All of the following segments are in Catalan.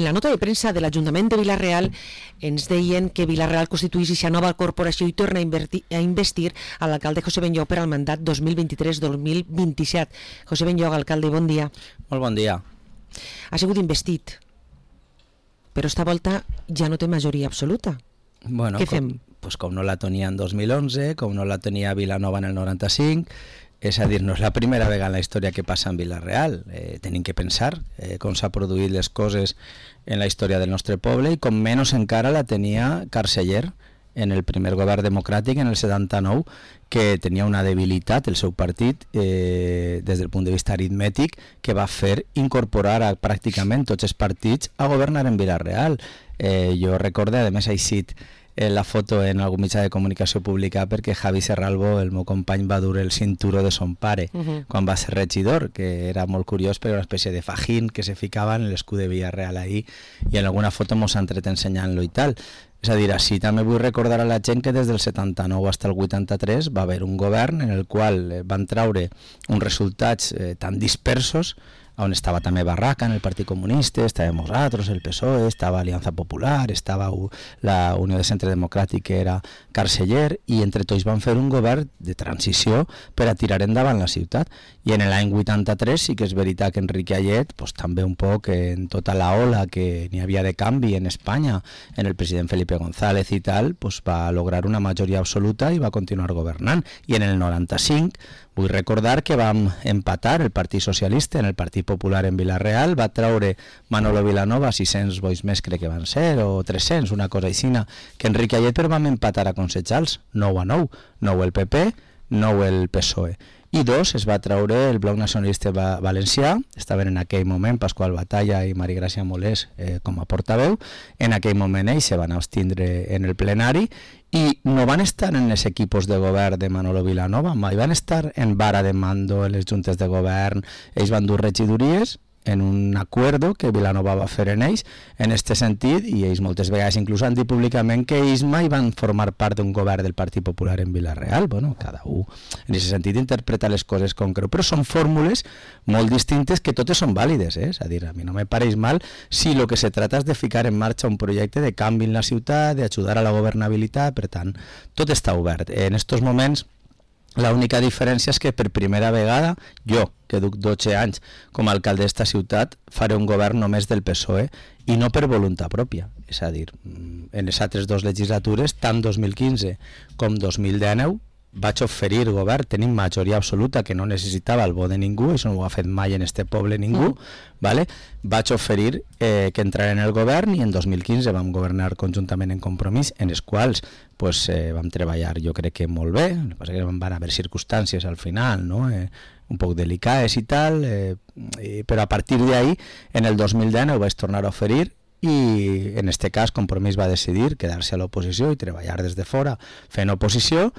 En la nota de premsa de l'Ajuntament de Vila-real ens deien que Vila-real constituïx aquesta nova corporació i torna a investir a l'alcalde José Benlloch per al mandat 2023-2027. José Benlloch, alcalde, bon dia. Molt bon dia. Ha sigut investit, però esta volta ja no té majoria absoluta. Bueno, què fem? Pues com no la tenia en 2011, com no la tenia Vilanova en el 95, és a dir, no és la primera vegada en la història que passa en Vila-real. Tenim que pensar com s'ha produït les coses en la història del nostre poble i com menys encara la tenia Carceller en el primer govern democràtic en el 79, que tenia una debilitat el seu partit des del punt de vista aritmètic, que va fer incorporar a pràcticament tots els partits a governar en Vila-real. Jo recordo, a més, així la foto en algun mitjà de comunicació pública perquè Javi Serralbo, el meu company, va dur el cinturó de son pare quan va ser regidor, que era molt curiós, però una espècie de fajín que se ficava en l'escut de Villarreal ahí, i en alguna foto mos han tret ensenyant-lo i tal. És a dir, així també vull recordar a la gent que des del 79 fins al 83 va haver un govern en el qual van traure uns resultats tan dispersos, on estava també Barraca en el Partit Comunista, estàvem nosaltres, el PSOE, estava Aliança Popular, estava la Unió de Centre Democràtic, que era Carceller, i entre tots van fer un govern de transició per a tirar endavant la ciutat. I en l'any 83 sí que és veritat que Enrique Ayet, pues, també un poc en tota la ola que n'hi havia de canvi en Espanya, en el president Felipe González i tal, pues, va lograr una majoria absoluta i va continuar governant. I en el 95 vull recordar que vam empatar el Partit Socialista en el Partit Popular en Vila-real, va traure Manolo Vilanova 600 vots més, crec que van ser, o 300, una cosa aixina, que Enrique Ayet, però vam empatar a Consejals 9-9, 9 el PP, 9 el PSOE. I 2 es va traure el Bloc Nacionalista Valencià, estaven en aquell moment Pasqual Batalla i Maria Gràcia Molés com a portaveu, en aquell moment ells se van abstindre en el plenari i no van estar en els equipos de govern de Manolo Vilanova, mai van estar en vara de mando en les juntes de govern, ells van dur regidories en un acuerdo que Vilanova va fer en ells, en este sentit, i ells moltes vegades inclús han dit públicament que ells mai van formar part d'un govern del Partit Popular en Vila-real. Bueno, cada un en aquest sentit interpreta les coses com creu, però són fórmules molt distintes que totes són vàlides, és a dir, a mi no me pareix mal si el que se trata és de ficar en marxa un projecte de canvi en la ciutat, d'ajudar a la governabilitat, per tant, tot està obert. En estos moments l'única diferència és que per primera vegada jo, que duc 12 anys com a alcalde d'esta ciutat, faré un govern només del PSOE i no per voluntat pròpia. És a dir, en les altres dues legislatures, tant 2015 com 2019, vaig oferir govern, tenim majoria absoluta que no necessitava el vot de ningú, això no ho ha fet mai en este poble ningú, vale? Vaig oferir que entraré en el govern i en 2015 vam governar conjuntament en Compromís, en els quals pues, vam treballar jo crec que molt bé, el que passa que van haver circumstàncies al final, no? Un poc delicades i tal, però a partir d'ahí, en el 2019 vaig tornar a oferir i en este cas Compromís va decidir quedar-se a l'oposició i treballar des de fora fent oposició,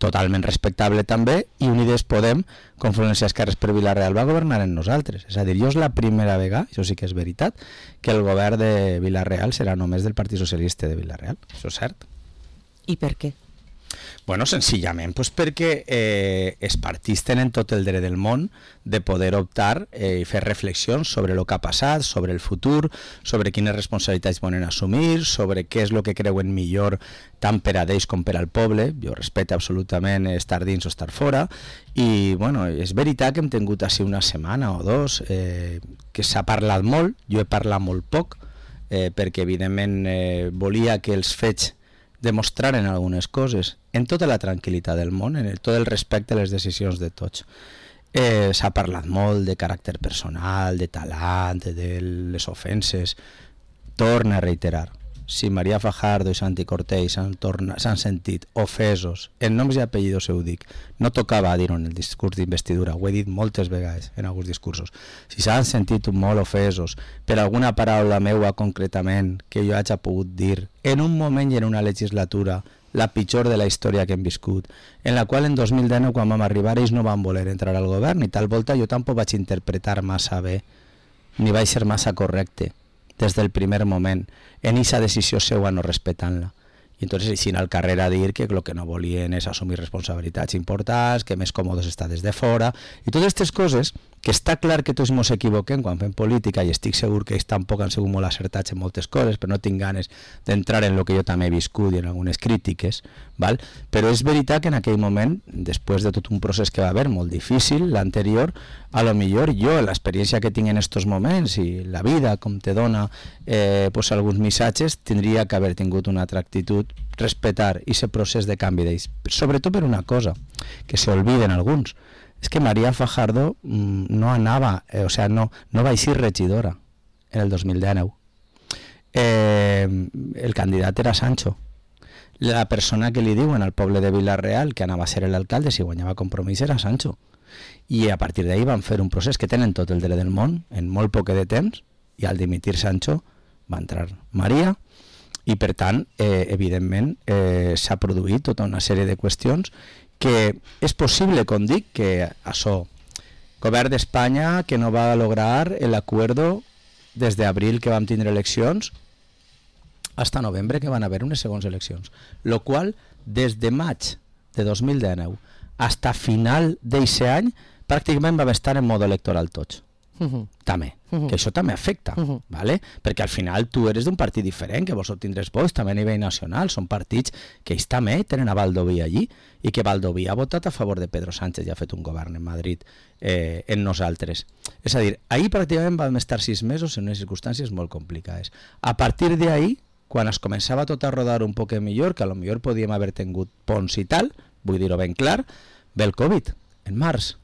totalment respectable també, i Unides Podem, Confluència Esquerres per Vila-real, va governar en nosaltres. És a dir, jo és la primera vegada, això sí que és veritat, que el govern de Vila-real serà només del Partit Socialista de Vila-real. Això és cert. I per què? Bueno, senzillament pues perquè els partits tenen tot el dret del món de poder optar i fer reflexions sobre el que ha passat, sobre el futur, sobre quines responsabilitats volen assumir, sobre què és el que creuen millor tant per a ells com per al poble. Jo respecte absolutament estar dins o estar fora i bueno, és veritat que hem tingut així una setmana o dos que s'ha parlat molt, jo he parlat molt poc perquè evidentment volia que els fets demostraren algunes coses en tota la tranquil·litat del món, en tot el respecte a les decisions de tots. S'ha parlat molt de caràcter personal, de talant, de les ofenses. Torna a reiterar, si María Fajardo i Santi Cortés s'han sentit ofesos, en noms i apellidos ho dic, no tocava dir-ho en el discurs d'investidura, ho he dit moltes vegades en alguns discursos, si s'han sentit molt ofesos per alguna paraula meua concretament que jo hagi pogut dir en un moment i en una legislatura la pitjor de la història que hem viscut, en la qual en 2019 quan vam arribar ells no van voler entrar al govern i tal volta jo tampoc vaig interpretar massa bé ni vaig ser massa correcte des del primer moment en aquesta decisió seua no respetant-la. I entonces així al carrer a dir que el que no volien és assumir responsabilitats importants, que més còmodes està des de fora, i totes aquestes coses que està clar que tots ens equivoquem quan fem política, i estic segur que ells tampoc han sigut molt acertats en moltes coses, però no tinc ganes d'entrar en el que jo també he viscut i en algunes crítiques, val? Però és veritat que en aquell moment, després de tot un procés que va haver molt difícil, l'anterior, a lo millor jo, l'experiència que tinc en estos moments i la vida com te dona pues alguns missatges, tindria que haver tingut una altra actitud, respetar aquest procés de canvi d'ells, sobretot per una cosa que s'olviden alguns, és que María Fajardo no anava, no va ser regidora en el 2019. El candidat era Sancho. La persona que li diuen al poble de Vila-real que anava a ser l'alcalde si guanyava Compromís era Sancho. I a partir d'ahir van fer un procés que tenen tot el dret del món, en molt poc de temps, i al dimitir Sancho va entrar María, i per tant, evidentment, s'ha produït tota una sèrie de qüestions que és possible, com dic, que això, govern d'Espanya que no va lograr l'acuerdo des d'abril que vam tindre eleccions hasta novembre que van haver unes segons eleccions, lo qual des de maig de 2019 hasta final d'aquest any pràcticament va estar en mode electoral tots. També, que això també afecta, ¿vale? Perquè al final tu eres d'un partit diferent, que vols obtindre vots també a nivell nacional, són partits que ells també tenen a Baldoví allí, i que Baldoví ha votat a favor de Pedro Sánchez i ha fet un govern en Madrid en nosaltres. És a dir, ahir pràcticament vam estar 6 mesos en unes circumstàncies molt complicades. A partir d'ahir, quan es començava tot a rodar un poc millor, que a lo millor podíem haver tingut ponts i tal, vull dir-ho ben clar, ve el Covid, en març,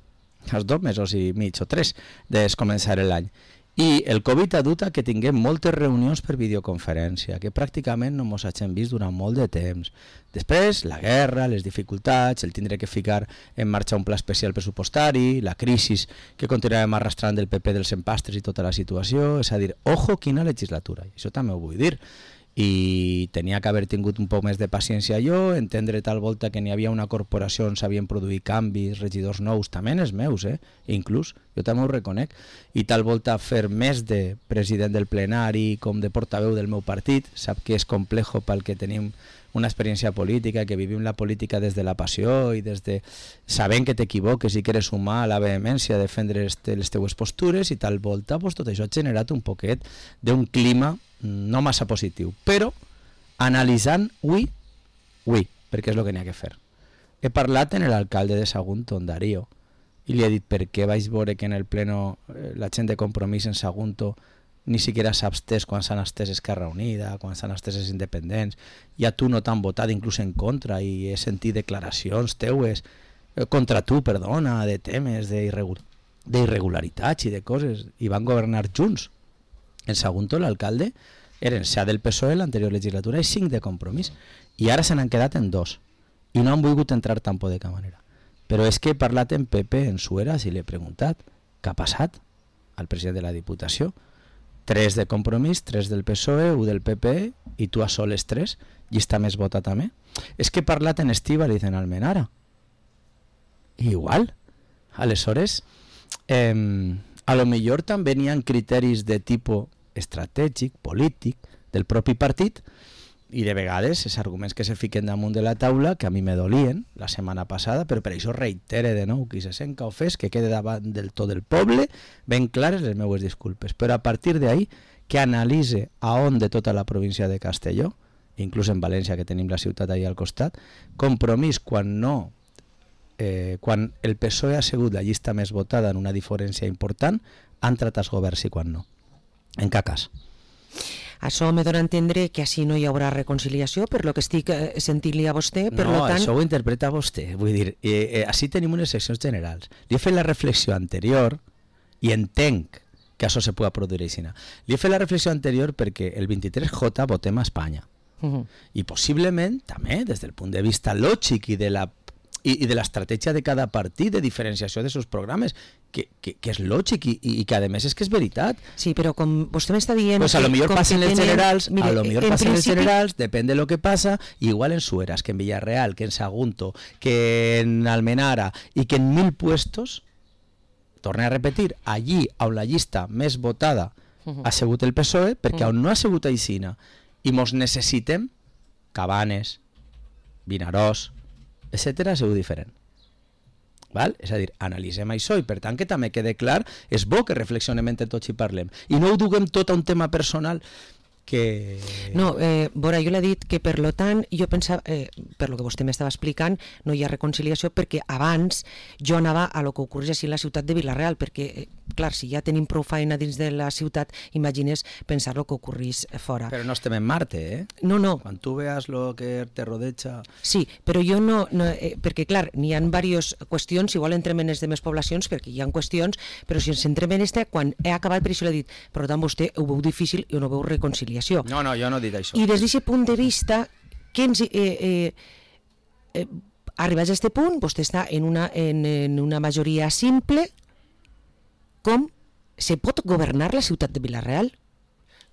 als 2 mesos i mig o 3 des de començar l'any. I el Covid ha dut a que tinguem moltes reunions per videoconferència, que pràcticament no ens hagin vist durant molt de temps. Després, la guerra, les dificultats, el tindre que ficar en marxa un pla especial pressupostari, la crisi que continuem arrastrant del PP dels empastres i tota la situació, és a dir, ojo, quina legislatura, i això també ho vull dir. I tenia que haver tingut un poc més de paciència jo, entendre tal volta que n'hi havia una corporació on s'havien produït canvis, regidors nous, també els meus, inclús, jo també ho reconec, i tal volta fer més de president del plenari com de portaveu del meu partit, sap que és complejo pel que tenim una experiència política, que vivim la política des de la passió i des de sabent que t'equivoques i que eres humà, la vehemència de defendre les teues postures, i tal volta pues, tot això ha generat un poquet d'un clima no massa positiu, però analitzant ui, perquè és el que n'hi ha que fer. He parlat amb l'alcalde de Sagunto, en Darío, i li he dit per què vaig veure que en el pleno la gent de Compromís en Sagunto ni siquiera s'ha abstès quan s'han abstès Esquerra Unida, quan s'han abstès els independents, i a tu no t'han votat inclús en contra, i he sentit declaracions teues contra tu, perdona, de temes d'irregularitats i de coses, i van governar junts. En Sagunto l'alcalde eren 7 del PSOE en l'anterior legislatura i 5 de Compromís, i ara se n'han quedat en 2 i no han volgut entrar tampoc de cap manera. Però és que he parlat amb Pepe en Sueras i li he preguntat què ha passat al president de la Diputació. 3 de Compromís, 3 del PSOE, 1 del PP, i tu a soles 3, llista més vota també. És que he parlat en Estíbaliz en Almenara. I igual. Aleshores, a lo millor també n'hi ha criteris de tipus estratègic, polític, del propi partit, i de vegades els arguments que se fiquen damunt de la taula, que a mi me dolien la setmana passada, però per això reitere de nou, qui se sent que ofès, que quede davant del tot del poble, ben clares les meues disculpes. Però a partir d'ahí, que analitze a on de tota la província de Castelló, inclús en València, que tenim la ciutat allà al costat, Compromís, quan el PSOE ha sigut la llista més votada en una diferència important, han entrat als governs i quan no. En cap cas. Això me dona a entendre que així no hi haurà reconciliació, per lo que estic sentint-li a vostè. Per no, tant... això ho interpreta vostè. Vull dir, així tenim unes seccions generals. Li he fet la reflexió anterior i entenc que això se pugui produir així. Li he fet la reflexió anterior perquè el 23J votem a Espanya. I possiblement, també, des del punt de vista lògic i de l'estratègia de cada partit de diferenciació de seus programes, que és lògic i que a més és que és veritat. Sí, però com vostè m'està dient... Pues a lo millor passen els generals, mire, a lo millor passen els generals, depèn de lo que passa, igual en Sueras, que en Villarreal, que en Sagunto, que en Almenara i que en 1000 puestos, torne a repetir, allí on la llista més votada ha sigut el PSOE, perquè on no ha sigut aixina i mos necessitem Cabanes, Vinaròs, etc. és diferent. Val? És a dir, analitzem això i per tant que també quede clar, és bo que reflexionem entre tots i parlem i no ho duguem tot a un tema personal que... No, Bora, jo l'he dit que per lo tant, jo pensava, per lo que vostè m'estava explicant, no hi ha reconciliació perquè abans jo anava a lo que ocorreix així en la ciutat de Vila-real, perquè, clar, si ja tenim prou feina dins de la ciutat, imagines pensar lo que ocorrís fora. Però no estem en Marte, No, no. Quan tu veas lo que te rodeja... Sí, però jo no perquè, clar, n'hi ha diverses qüestions, igual entrem en les demés poblacions, perquè hi ha qüestions, però si ens centrem en esta, quan he acabat, per això l'he dit, per tant, vostè ho veu difícil i no veu reconciliació. No, jo no he dit això. I des d'aquest punt de vista, que ens, arribats a aquest punt, vostè està en una majoria simple, com se pot governar la ciutat de Vila-real?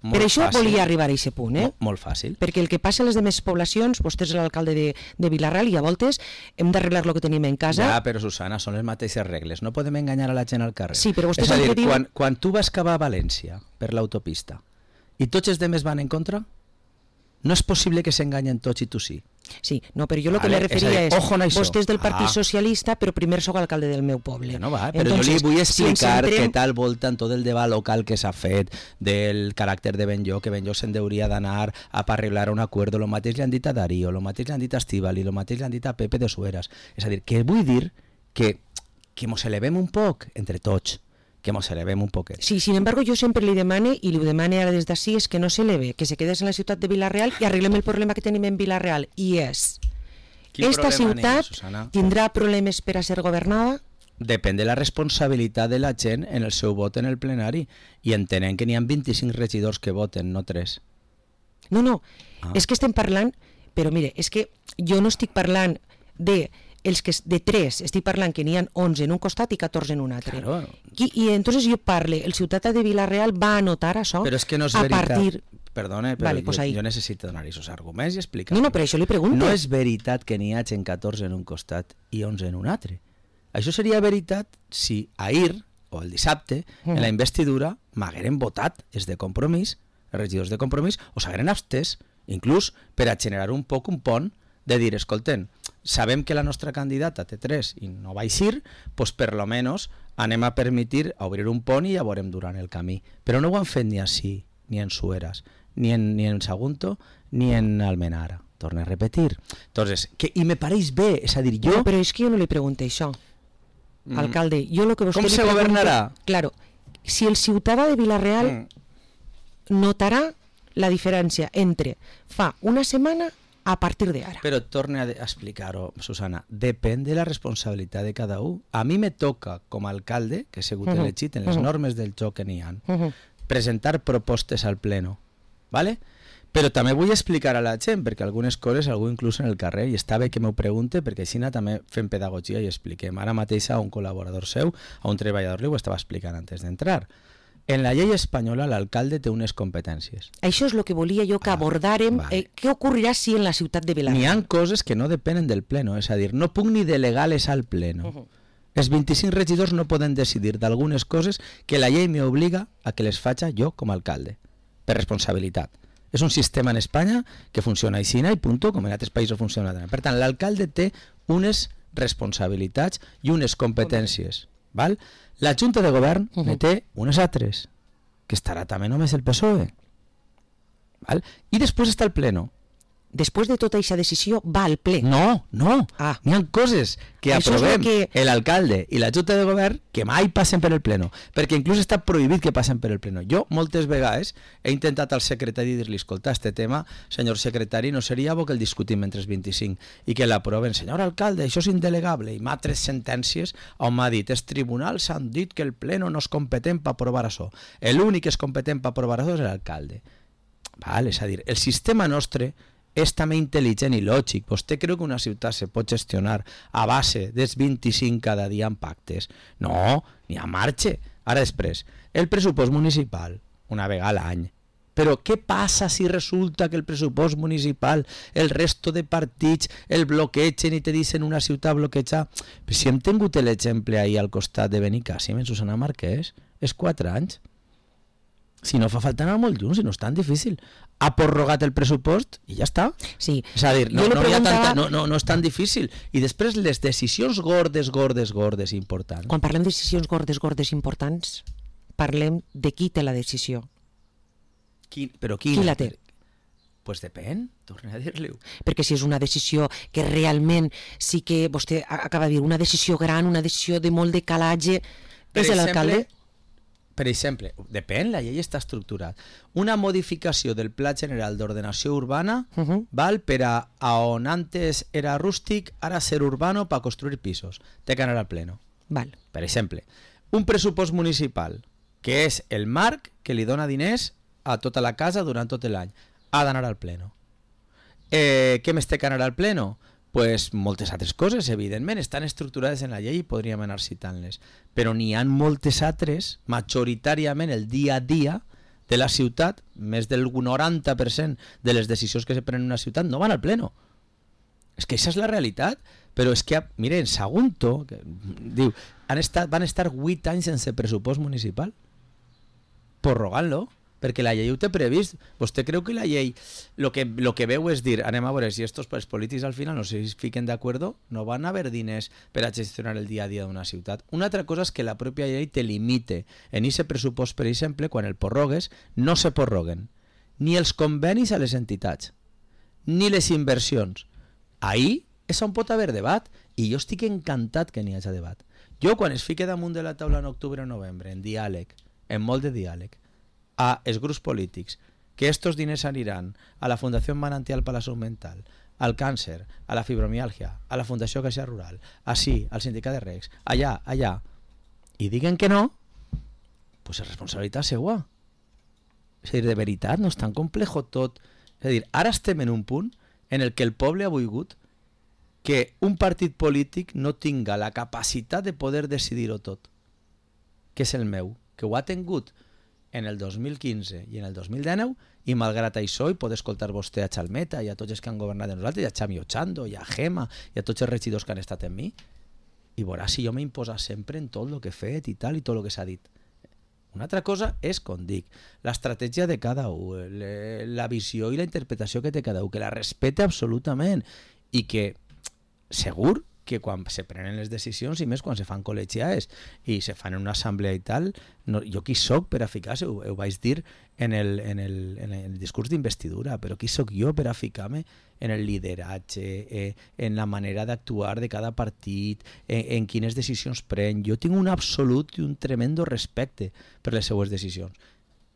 Molt per això fàcil. volia arribar a aquest punt, Molt fàcil. Perquè el que passa a les demés poblacions, vostè és l'alcalde de Vila-real i a voltes hem d'arreglar el que tenim en casa. Ja, però Susana, són les mateixes regles. No podem enganyar a la gent al carrer. Sí, però vostè és a dir, diu... quan tu vas cavar a València per l'autopista i tots els demés van en contra, no és possible que s'enganyen tots i tu sí. Sí, no, però jo el que me referia és, vostè és del Partit Socialista, però primer sóc alcalde del meu poble. No va, però entonces, jo li vull explicar què tal voltant tot el debat local que s'ha fet del caràcter de Benlloc, que Benlloc se'n hauria d'anar a arreglar un acord, el mateix li han dit a Darío, el mateix li han dit a Estíbal i el mateix li han dit a Pepe de Sueras. És a dir, que vull dir que mos elevem un poc entre tots, que mos elevem un poquet. Sí, sin embargo, jo sempre li demane, i li ho demane ara des d'ací, és que no s'eleve, que se quedés en la ciutat de Vila-real i arreglem el problema que tenim en Vila-real, i és... Esta ciutat tindrà problemes per a ser governada? Depèn de la responsabilitat de la gent en el seu vot en el plenari, i entenem que n'hi ha 25 regidors que voten, no 3. No, és que estem parlant, però mire, és que jo no estic parlant de 3, estic parlant que n'hi ha 11 en un costat i 14 en un altre. Claro. I entonces jo parle, el ciutadà de Vila-real va anotar això però és que no és veritat. Perdone, però vale, pues jo necessito donar aquests arguments i explicar. No, però això li pregunto. No és veritat que n'hi hagi 14 en un costat i 11 en un altre. Això seria veritat si ahir o el dissabte, en la investidura, m'hagueren votat els de Compromís, els regidors de Compromís, o s'hagueren abstès, inclús per a generar un poc un pont de dir, escolten, sabem que la nostra candidata té 3 i no va eixir, doncs per lo menos anem a permetir obrir un pont i ja veurem durant el camí. Però no ho han fet ni així, ni en Sueras, ni en Sagunto, ni en Almenara. Torno a repetir. Entonces, i me pareix bé, és a dir, jo... No, però és que jo no li pregunto això, alcalde. Jo lo que vostè com se governarà? Claro, si el ciutadà de Vila-real notarà la diferència entre fa una setmana a partir d'ara. Però torne a explicar-ho, Susana, depèn de la responsabilitat de cada un. A mi me toca, com a alcalde, que he sigut elegit en les normes del joc que n'hi ha, presentar propostes al pleno, ¿vale? Però també vull explicar a la gent, perquè algunes coses, algú inclús en el carrer, i està bé que m'ho pregunte, perquè així també fem pedagogia i expliquem. Ara mateix a un col·laborador seu, a un treballador, li ho estava explicant antes d'entrar. En la llei espanyola l'alcalde té unes competències. Això és el que volia jo que abordàrem. Vale. Què ocorrirà si en la ciutat de Vila-real? N'hi ha coses que no depenen del pleno, és a dir, no puc ni delegar-les al pleno. Els 25 regidors no poden decidir d'algunes coses que la llei m'obliga a que les faci jo com a alcalde, per responsabilitat. És un sistema en Espanya que funciona així i punto, com en altres països funciona. Per tant, l'alcalde té unes responsabilitats i unes competències. Val? La Junta de Govern ne té unes altres, que estarà també només el PSOE. Val? I després està el pleno. Després de tota aquesta decisió va al ple. No. N'hi ha coses que aprovem l'alcalde i la Junta de Govern que mai passen per el pleno, perquè inclús està prohibit que passen per el pleno. Jo moltes vegades he intentat al secretari dir-li, escolta, este tema, senyor secretari, no seria bo que el discutim entre els 25 i que l'aproven. Senyor alcalde, això és indelegable. I m'ha 3 sentències on m'ha dit, els tribunals han dit que el pleno no és competent per aprovar això. L'únic que és competent per aprovar això és l'alcalde. És a dir, el sistema nostre és també intel·ligent i lògic. Vostè creu que una ciutat se pot gestionar a base dels 25 cada dia en pactes? No, ni a marxa. Ara després, el pressupost municipal, una vegada a l'any. Però què passa si resulta que el pressupost municipal, el resto de partits, el bloquegen i te dicen una ciutat bloqueja? Però si hem tingut l'exemple ahir al costat de Benicàssim, en Susana Marquès, és 4 anys. Si no fa falta anar molt lluny, si no és tan difícil. Ha prorrogat el pressupost i ja està. Sí. És a dir, no preguntava... és tan difícil. I després les decisions gordes, importants. Quan parlem de decisions gordes, importants, parlem de qui té la decisió. Però qui la té? Pues depèn, torna a dir-li-ho. Perquè si és una decisió que realment sí que vostè acaba de dir, una decisió gran, una decisió de molt de calatge, és de l'alcalde? Per exemple, depèn, la llei està estructurada. Una modificació del Pla General d'Ordenació Urbana val per a on antes era rústic, ara ser urbano per construir pisos. Té que anar al pleno. Val. Per exemple, un pressupost municipal, que és el marc que li dona diners a tota la casa durant tot l'any, ha d'anar al pleno. Què més té que anar al pleno? Pues moltes altres coses, evidentment, estan estructurades en la llei i podríem anar citant-les. Però n'hi ha moltes altres, majoritàriament el dia a dia de la ciutat, més del 90% de les decisions que se prenen en una ciutat no van al pleno. És que aquesta és la realitat, però és que, miren, Sagunto, que diu, van estar 8 anys sense pressupost municipal, prorrogant-lo, perquè la llei ho té previst. Vostè creu que la llei lo que veu és dir, anem a veure si estos polítics al final no se fiquen d'acord, no van haver diners per a gestionar el dia a dia d'una ciutat. Una altra cosa és que la pròpia llei te limite en aquest pressupost, per exemple, quan el prorrogues, no se prorroguen ni els convenis a les entitats, ni les inversions. Ahí és on pot haver debat, i jo estic encantat que n'hi hagi debat. Jo, quan es fique damunt de la taula en octubre o novembre, en diàleg, en molt de diàleg, a els grups polítics, que estos diners aniran a la Fundació Manantial per la Salut Mental, al càncer, a la fibromiàlgia, a la Fundació Caixa Rural, així, al sindicat de Recs, allà, i diguen que no, pues és responsabilitat seua. És a dir, de veritat, no és tan complejo tot. És a dir, ara estem en un punt en el que el poble ha volgut que un partit polític no tinga la capacitat de poder decidir-ho tot, que és el meu, que ho ha tingut en el 2015 i en el 2019, i malgrat això hi pot escoltar vostè a Chalmeta i a tots els que han governat de nosaltres, i a Xami Ochando, i a Gema, i a tots els regidors que han estat en mi, i veurà si jo m'imposa sempre en tot el que he fet i tal, i tot el que s'ha dit. Una altra cosa és, com dic, l'estratègia de cada un, la visió i la interpretació que té cada un, que la respecte absolutament, i que segur que quan se prenen les decisions, i més quan se fan col·legiades i se fan en una assemblea i tal, no, jo qui soc per a ficar-se, ho vaig dir en el discurs d'investidura, però qui soc jo per a ficar-me en el lideratge, en la manera d'actuar de cada partit, en quines decisions pren. Jo tinc un absolut i un tremendo respecte per les seues decisions,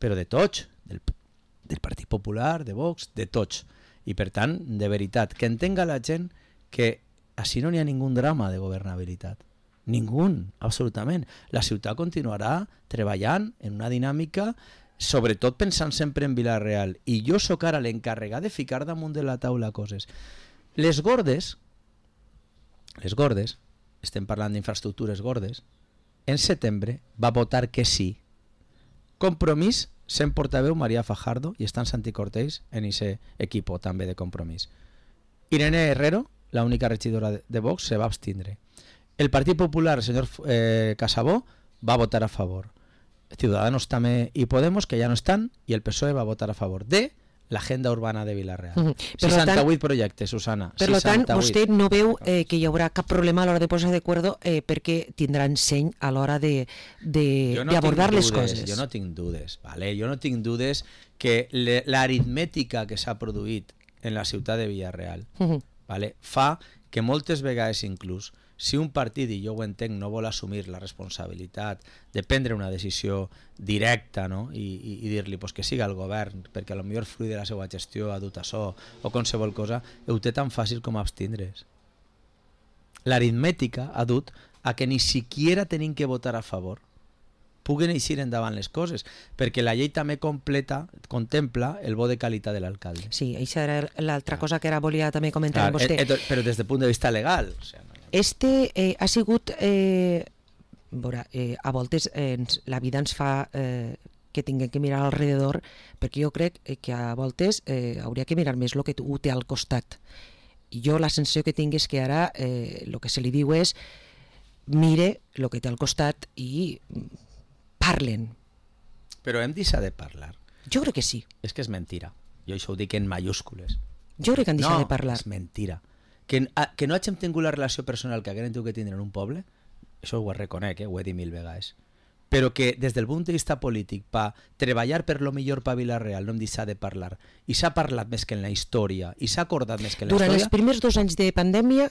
però de tots, del Partit Popular, de Vox, de tots. I per tant, de veritat, que entenga la gent que així no n'hi ha ningú drama de governabilitat. Ningú, absolutament. La ciutat continuarà treballant en una dinàmica, sobretot pensant sempre en Vila-real. I jo sóc ara l'encarregat de ficar damunt de la taula coses. Les gordes, estem parlant d'infraestructures gordes, en setembre va votar que sí. Compromís, sent portaveu Maria Fajardo, i està en Santi Cortés en aquest equip també de Compromís. Irene Herrero, la única regidora de Vox, se va abstindre. El Partit Popular, el senyor Casabó, va votar a favor. Ciudadanos també i Podemos, que ja no estan, i el PSOE va votar a favor de l'agenda urbana de Vila-real. 68 projectes, Susana. Per tant, vostè no veu que hi haurà cap problema a l'hora de posar d'acord perquè tindran seny a l'hora d'abordar les coses. Jo no tinc dudes, vale? Jo no tinc dudes que l'aritmètica que s'ha produït en la ciutat de Vila-real vale, fa que moltes vegades inclús si un partit, i jo ho entenc, no vol assumir la responsabilitat de prendre una decisió directa, no? I dir-li pues, que siga el govern perquè potser fruit de la seva gestió ha dut això o qualsevol cosa, ho té tan fàcil com abstindre's. L'aritmètica ha dut a que ni siquiera tenim que votar a favor puguen eixir endavant les coses, perquè la llei també contempla el vot de qualitat de l'alcalde. Sí, això era l'altra cosa que ara volia també comentar amb vostè. Però des del punt de vista legal. O sea, ha sigut... a voltes la vida ens fa que tinguem que mirar alrededor, perquè jo crec que a voltes hauria que mirar més el que ho té al costat. I jo la sensació que tinc és que ara el que se li diu és mire el que té al costat i parlen. Però hem deixat de parlar. Jo crec que sí. És que és mentira. Jo això ho dic en mayúscules. Jo crec que han deixat de parlar. No, és mentira. Que no hàgim tingut la relació personal que haguem tingut que tindre en un poble, això ho reconec, ho he dit 1000 vegades. Però que des del punt de vista polític, per treballar per lo millor per Vila-real, no hem deixat de parlar. I s'ha parlat més que en la història, i s'ha acordat més que en la Durant història. els primers 2 anys de pandèmia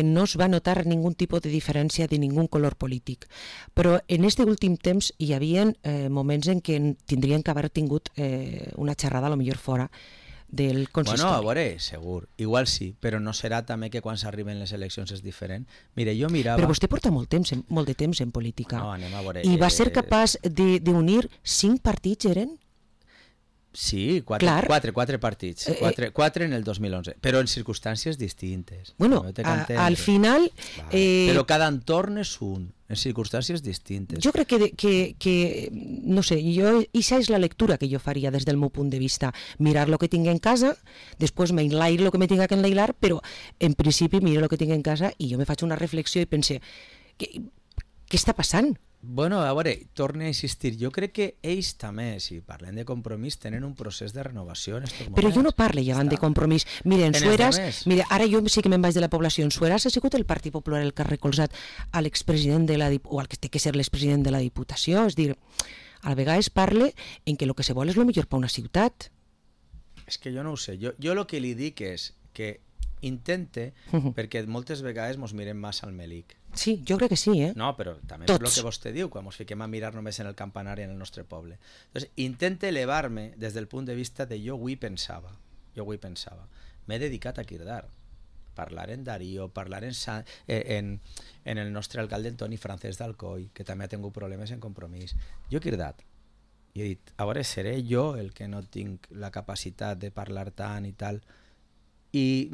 no es va notar ningú tipus de diferència de ningú color polític. Però en aquest últim temps hi havia moments en què tindrien que haver tingut una xerrada a lo millor fora del consistori. Bueno, a veure, segur, igual sí, però no serà també que quan s'arriben les eleccions és diferent. Mire, jo mirava... Però vostè porta molt de temps en política. No, anem a veure... I va ser capaç d'unir 5 partits, eren? Sí, 4 partits. 4 en el 2011, però en circumstàncies distintes. Bueno, al final... Però cada entorn és un, en circumstàncies distintes. Jo crec que no sé, això és la lectura que jo faria des del meu punt de vista. Mirar lo que tinc en casa, després m'enlair lo que me tinc que enlairar, però en principi miro lo que tinc en casa i jo me faig una reflexió i pense, què està passant? Bueno, a veure, torno a insistir, jo crec que ells també, si parlem de Compromís, tenen un procés de renovació en aquests moments. Però jo no parlo llevant de Compromís. Mira, en Sueras, ara jo sí que me'n vaig de la població, en Sueras ha sigut el Partit Popular el que ha recolzat a l'expresident o al que té que ser l'expresident de la Diputació, és dir, a vegades parle en que el que se vol és el millor per una ciutat. És que jo no ho sé, jo el que li dic és que intente, perquè moltes vegades mos mirem massa al melic. Sí, jo crec que sí, No, però també és el que vostè diu, quan ens fiquem a mirar només en el campanari en el nostre poble. Entonces, intente elevar-me des del punt de vista de jo avui pensava. M'he dedicat a cridar. Parlar en Darío, parlar en el nostre alcalde Antoni Francesc d'Alcoi, que també ha tingut problemes en Compromís. Jo he cridat. I he dit, a veure, seré jo el que no tinc la capacitat de parlar tant i tal. I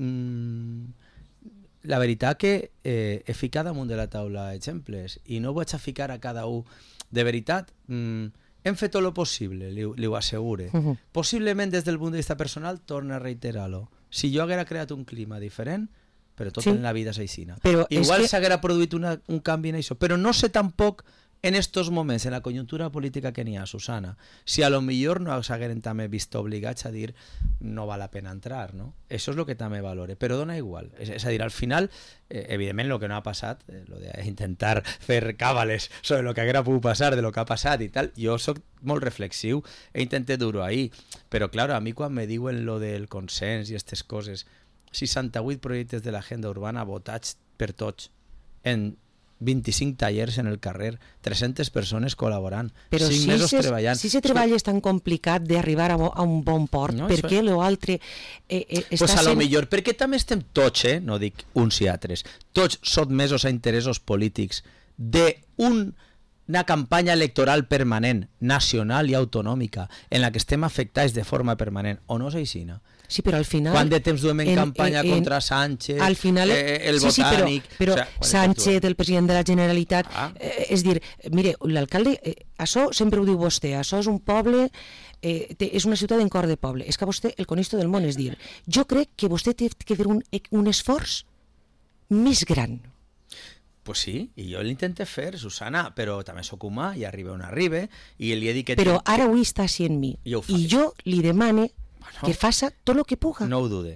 la veritat que he ficat damunt de la taula exemples i no vaig a ficar a cada un. De veritat, hem fet tot el possible, li ho assegure. Possiblement des del punt de vista personal, torna a reiterar-lo. Si jo haguera creat un clima diferent, però tot en la vida és aixina. Igual s'haguera produït un canvi en això, però no sé tampoc en estos moments, en la conjuntura política que n'hi ha, Susana, si a lo millor no s'hagueren també vist obligats a dir no val la pena entrar, no? Això és el que també valore, però dona igual. És a dir, al final, evidentment, el que no ha passat, lo d'intentar fer càbales sobre el que haguera pogut passar, de lo que ha passat i tal, jo soc molt reflexiu, he intentat dur-ho ahí, però, clar, a mi quan me diuen lo del consens i aquestes coses, 68 projectes de l'agenda urbana votats per tots en 25 tallers en el carrer, 300 persones col·laborant, 5 mesos treballant. Si se treball és tan complicat d'arribar a un bon port, per què l'altre està sent... a lo millor, perquè també estem tots, no dic uns i altres, tots sotmesos a interessos polítics d'una campanya electoral permanent, nacional i autonòmica, en la que estem afectats de forma permanent, o no és així, no? Sí, però al final... Quant de temps duem en campanya contra Sánchez, al final, el Botànic... Sí, però Sánchez, el president de la Generalitat... És dir, mire, l'alcalde, això sempre ho diu vostè, això és un poble, és una ciutat en cor de poble. És que vostè el coneix tot del món, és dir, jo crec que vostè té que fer un esforç més gran. Pues sí, i jo l'intente fer, Susana, però també sóc humà, i arriba on arriba, i li he dit que... Però ara avui està sent mi, i jo li demane que faça tot el que puga. No ho dude.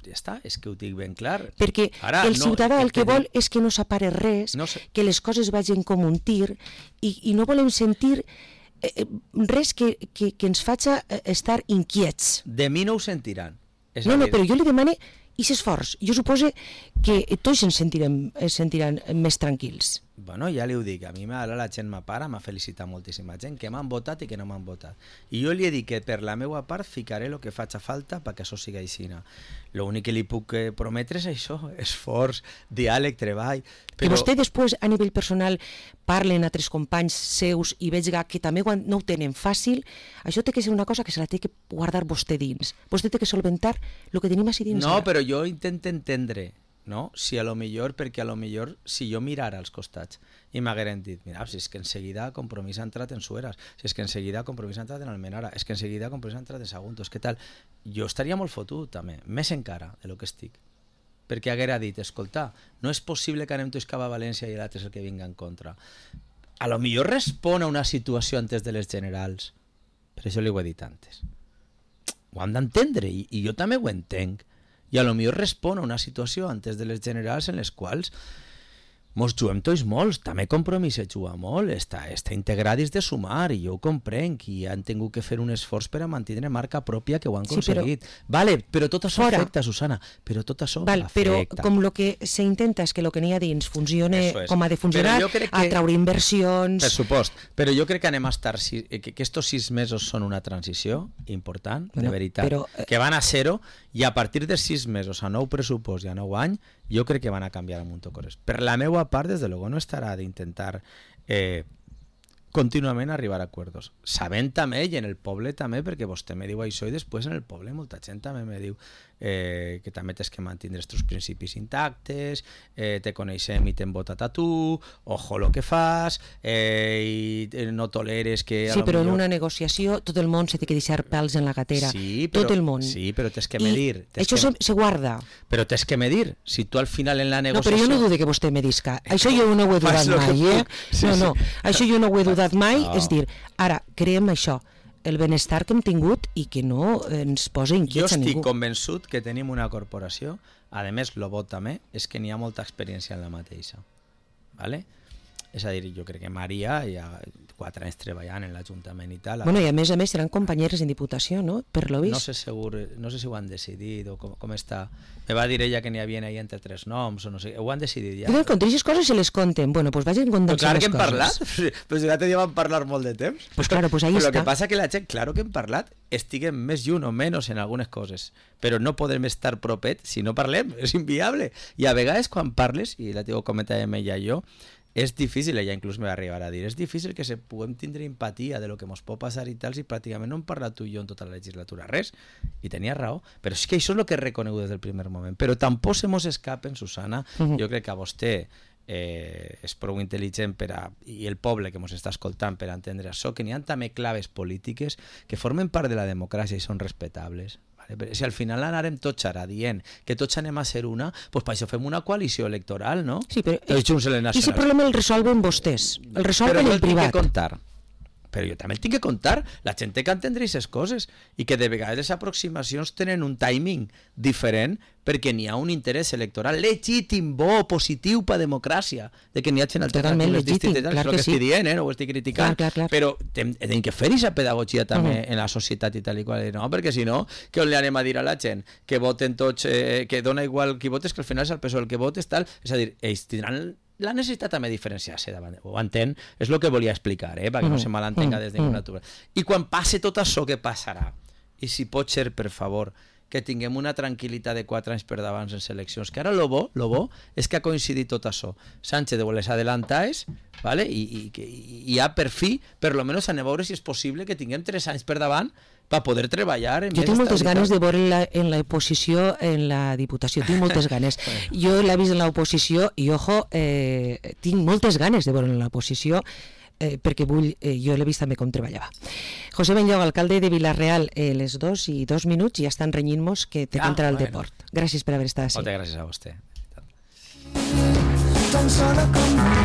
Ja està, és que ho dic ben clar. Perquè el ciutadà el que vol és que no s'apare res, que les coses vagin com un tir, i no volem sentir res que ens faci estar inquiets. De mi no ho sentiran. No, però jo li demane aquest esforç. Jo suposo que tots ens sentiran més tranquils. Bueno, ja li ho dic, a mi la gent m'apara, m'ha felicitat moltíssima gent que m'han votat i que no m'han votat. I jo li he dit que per la meva part ficaré el que faig falta perquè això sigui aixina. L'únic que li puc prometre és això, esforç, diàleg, treball... Que vostè després, a nivell personal, parlen a altres companys seus i veig que també no ho tenen fàcil, això té que ser una cosa que se la té que guardar vostè dins. Vostè té que solventar el que tenim així dins. No, però jo intento entendre, no? Si a lo millor, perquè a lo millor si jo mirara als costats i m'hagueren dit, mira, si és que enseguida Compromís ha entrat en Sueras, si és que enseguida Compromís ha entrat en Almenara, és que enseguida Compromís ha entrat en Saguntos, què tal? Jo estaria molt fotut també, més encara de lo que estic, perquè haguera dit, escolta, no és possible que anem tots cap a València i l'altre és el que vinga en contra. a lo millor respon a una situació antes de les generals, per això li ho he dit antes. Ho han d'entendre, i jo també ho entenc, i a lo millor respon a una situació antes de les generals en les quals mos juguem tots molts, també Compromís se juga molt, està integrat dins de Sumar, i jo ho comprenc, i han tingut que fer un esforç per a mantenir marca pròpia que ho han aconseguit. Però tot això afecta, Susana, però tot això afecta. Però com el que s'intenta és que el que n'hi ha dins funcione com ha de funcionar, atraure inversions... Per supost, però jo crec que anem a estar... que estos 6 mesos són una transició important, de veritat, que van a zero, i a partir de 6 mesos a nou pressupost i a 9 anys, jo crec que van a canviar un munt de coses. Per la meva part, des de luego, no estarà d'intentar contínuament arribar a acuerdos. Sabent també, i en el poble també, perquè vostè me diu això, i després en el poble molta gent també me diu que també tens que mantenir els teus principis intactes, te coneixem i t'hem votat a tu, ojo lo que fas, i no toleres que... Sí, però en una negociació tot el món se té que deixar pèls en la gatera. Tot el món. Sí, però tens que medir. Això se guarda. Però tens que medir. Si tu al final en la negociació... No, però jo no dudo que vostè me disca. Això jo no ho he dudat mai, No, això jo no ho he dudat mai, és dir, ara, creem això, el benestar que hem tingut i que no ens posa inquiets a ningú. Jo estic convençut que tenim una corporació, a més, el vot també, és que n'hi ha molta experiència en la mateixa. ¿Vale? És a dir, jo crec que Maria hi ha 4 anys treballant en l'Ajuntament i tal. Bueno, i a més seran companyeres en Diputació, no? Per lo vist. No sé si ho han decidit o com està. Me va dir ella que n'hi havia ahí entre 3 noms o no sé. Ho han decidit ja. Però contra aquestes coses se les conten. Bueno, pues vagin contant les coses. Però clar que hem parlat. Però si l'altre dia vam parlar molt de temps. Pues claro, pues ahí però està. Però el que passa que la gent, claro que hem parlat, estiguem més lluny o menys en algunes coses. Però no podem estar propet si no parlem. És inviable. I a vegades quan parles, i la teva comentàvem ella i jo, és difícil, ella inclús me va arribar a dir, és difícil que puguem tindre empatia de lo que ens pot passar i tal, si pràcticament no hem parlat tu i jo en tota la legislatura, res, i tenia raó, però és que això és el que he reconegut des del primer moment, però tampoc se mos escapen, Susana, jo crec que a vostè és prou intel·ligent i el poble que ens està escoltant per entendre això, que n'hi ha també claves polítiques que formen part de la democràcia i són respectables. Si al final anarem tots ara dient que tots anem a ser una, doncs per això fem una coalició electoral, no? Sí, però i si el problema el resolven vostès, el resolven en privat. Però jo també el tinc que contar, la gent té que entendre aquestes coses i que de vegades les aproximacions tenen un timing diferent perquè n'hi ha un interès electoral legítim, bo, positiu per a democràcia, de que n'hi ha gent alternatives distintes, és el que estic dient, no ho estic criticant, però hem que fer aquesta pedagogia també en la societat i tal i qual, no? Perquè si no, què li anem a dir a la gent? Que voten tots, que dona igual qui votes, que al final és el PSOE el que votes, tal, és a dir, ells tindran la necessitat també diferenciar-se davant, ho entén, és el que volia explicar, perquè no se malentenga des de ninguna altura. I quan passe tot això, què passarà? I si pot ser, per favor, que tinguem una tranquil·litat de 4 anys per davant en eleccions, que ara lo bo és que ha coincidit tot això. Sánchez de les adelantades, ¿vale? I ja per fi, per lo menos anem a veure si és possible que tinguem 3 anys per davant per poder treballar en jo tinc moltes ganes de veure en l'oposició en la Diputació, tinc moltes ganes. Jo l'he vist en l'oposició i, ojo, tinc moltes ganes de veure en l'oposició perquè jo l'he vist també com treballava. José Benlloch, alcalde de Vila-real, les 2:02 ja estan renyint-nos que té que entrar al deport. Gràcies per haver estat així. Moltes gràcies a vostè. Tan sola com